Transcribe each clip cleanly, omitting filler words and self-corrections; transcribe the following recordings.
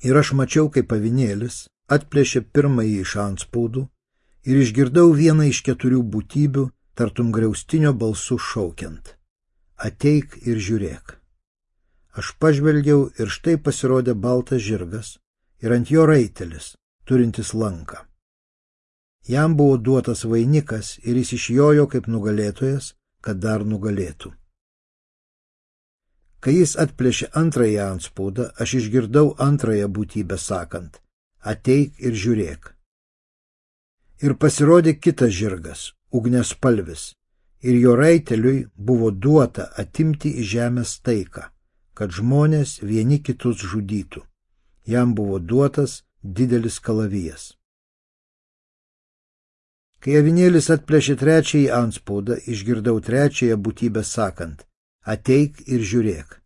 Ir aš mačiau, kaip avinėlis atplėšė pirmąjį iš antspaudų ir išgirdau vieną iš 4 būtybių, tartum griaustinio balsu šaukiant: ateik ir žiūrėk. Aš pažvelgiau ir štai pasirodė baltas žirgas ir ant jo raitelis, turintis lanką. Jam buvo duotas vainikas ir jis išjojo kaip nugalėtojas, kad dar nugalėtų. Kai jis atplėšė antrąjį antspaudą, aš išgirdau antrąją būtybę sakant: ateik ir žiūrėk. Ir pasirodė kitas žirgas, ugniaspalvis, ir jo raiteliui buvo duota atimti iš žemės taiką, kad žmonės vieni kitus žudytų. Jam buvo duotas didelis kalavijas. Kai avinėlis atplėšė trečiąjį antspaudą, išgirdau trečiąją būtybę sakant: ateik ir žiūrėk.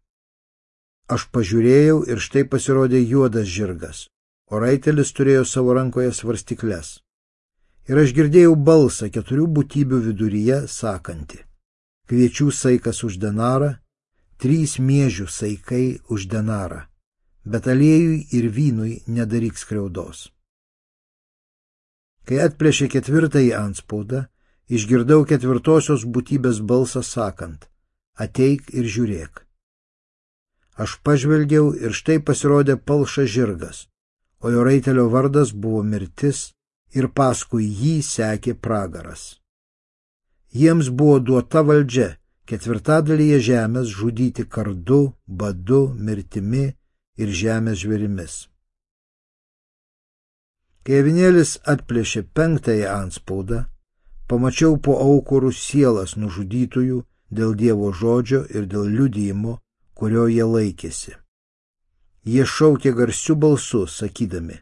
Aš pažiūrėjau ir štai pasirodė juodas žirgas, o raitelis turėjo savo rankoje svarstykles. Ir aš girdėjau balsą 4 būtybių viduryje sakantį: kviečių saikas už denarą, 3 miežių saikai už denarą, bet aliejui ir vynui nedaryk skriaudos. Kai atplėšė 4-ąjį antspaudą, išgirdau 4-osios būtybės balsą sakant: ateik ir žiūrėk. Aš pažvelgiau ir štai pasirodė palšas žirgas, o jo raitelio vardas buvo mirtis ir paskui jį sekė pragaras. Jiems buvo duota valdžia 4/4 žemės žudyti kardu, badu, mirtimi ir žemės žvėrimis. Kai avinėlis atplėšė 5-ąjį antspaudą, pamačiau po aukurų sielas nužudytųjų dėl Dievo žodžio ir dėl liudijimo, kurio jie laikėsi. Jie šaukė garsiu balsu, sakydami: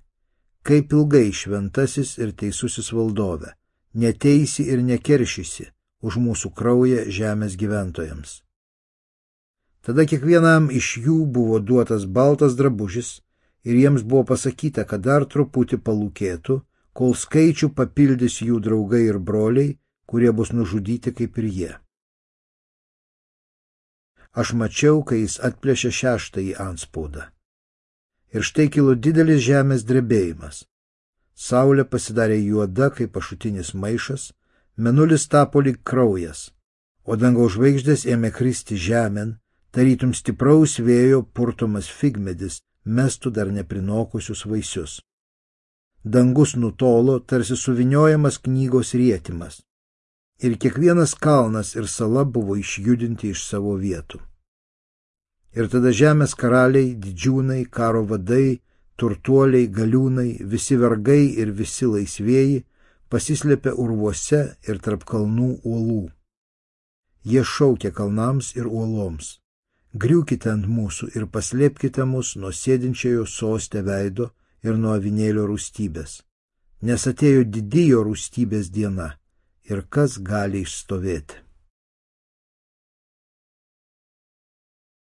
kaip ilgai šventasis ir teisusis valdove, neteisi ir nekeršysi už mūsų kraują žemės gyventojams. Tada kiekvienam iš jų buvo duotas baltas drabužis ir jiems buvo pasakyta, kad dar truputį palūkėtų, kol skaičių papildys jų draugai ir broliai, kurie bus nužudyti kaip ir jie. Aš mačiau, kai jis atplėšė 6-ąjį antspaudą. Ir štai kilo didelis žemės drebėjimas. Saulė pasidarė juoda kaip ašutinis maišas, mėnulis tapo lyg kraujas, o dangaus žvaigždės ėmė kristi žemėn, tarytum stipraus vėjo purtomas figmedis mestų dar neprinokusius vaisius. Dangus nutolo, tarsi suviniojamas knygos rietimas, ir kiekvienas kalnas ir sala buvo išjudinti iš savo vietų. Ir tada žemės karaliai, didžiūnai, karo vadai, turtuoliai, galiūnai, visi vergai ir visi laisvieji pasislėpė urvuose ir tarp kalnų uolų. Jie šaukė kalnams ir uoloms: griūkite ant mūsų ir paslėpkite mus nuo sėdinčiojo soste veido ir nuo avinėlio rūstybės, nes atėjo didijo rūstybės diena, ir kas gali išstovėti.